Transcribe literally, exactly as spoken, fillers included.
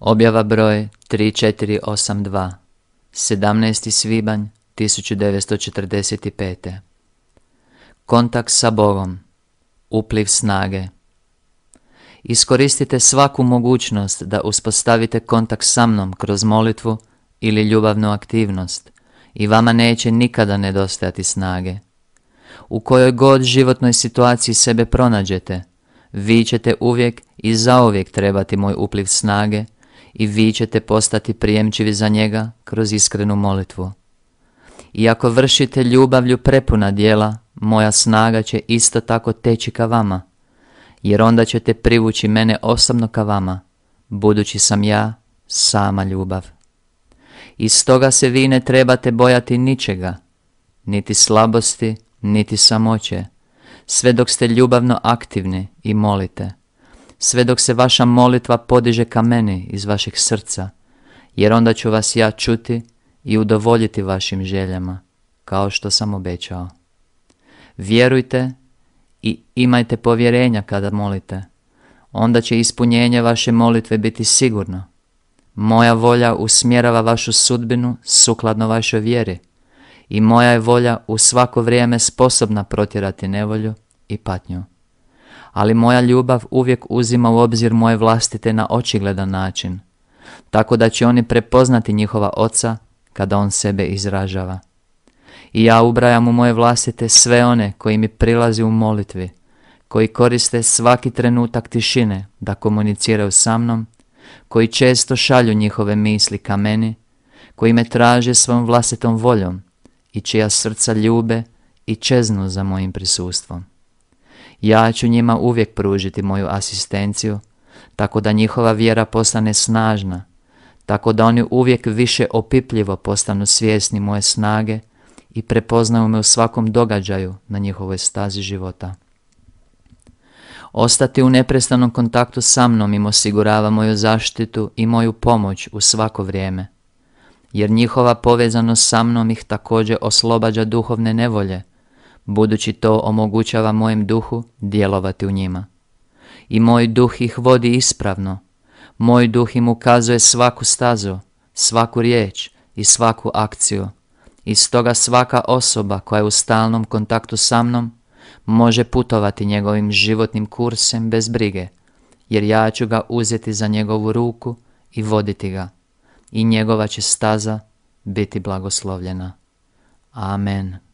Objava broj tri četiri osam dva, sedamnaesti svibanj tisuću devetsto četrdeset pete. Kontakt sa Bogom, upliv snage. Iskoristite svaku mogućnost da uspostavite kontakt sa mnom kroz molitvu ili ljubavnu aktivnost i vama neće nikada nedostajati snage. U kojoj god životnoj situaciji sebe pronađete, vi ćete uvijek i zauvijek trebati moj upliv snage i vi ćete postati prijemčivi za njega kroz iskrenu molitvu. I ako vršite ljubavlju prepuna djela, moja snaga će isto tako teći ka vama, jer onda ćete privući mene osobno ka vama, budući sam ja sama ljubav. I stoga se vi ne trebate bojati ničega, niti slabosti, niti samoće, sve dok ste ljubavno aktivni i molite, sve dok se vaša molitva podiže ka meni iz vašeg srca, jer onda ću vas ja čuti i udovoljiti vašim željama, kao što sam obećao. Vjerujte i imajte povjerenja kada molite, onda će ispunjenje vaše molitve biti sigurno. Moja volja usmjerava vašu sudbinu sukladno vašoj vjeri i moja je volja u svako vrijeme sposobna protjerati nevolju i patnju. Ali moja ljubav uvijek uzima u obzir moje vlastite na očigledan način, tako da će oni prepoznati njihova oca kada on sebe izražava. I ja ubrajam u moje vlastite sve one koji mi prilazi u molitvi, koji koriste svaki trenutak tišine da komuniciraju sa mnom, koji često šalju njihove misli ka meni, koji me traže svojom vlastitom voljom i čija srca ljube i čeznu za mojim prisustvom. Ja ću njima uvijek pružiti moju asistenciju, tako da njihova vjera postane snažna, tako da oni uvijek više opipljivo postanu svjesni moje snage i prepoznaju me u svakom događaju na njihovoj stazi života. Ostati u neprestanom kontaktu sa mnom im osigurava moju zaštitu i moju pomoć u svako vrijeme, jer njihova povezanost sa mnom ih također oslobađa duhovne nevolje, budući to omogućava mojem duhu djelovati u njima. I moj duh ih vodi ispravno, moj duh im ukazuje svaku stazu, svaku riječ i svaku akciju. I stoga svaka osoba koja je u stalnom kontaktu sa mnom može putovati njegovim životnim kursem bez brige, jer ja ću ga uzeti za njegovu ruku i voditi ga, i njegova će staza biti blagoslovljena. Amen.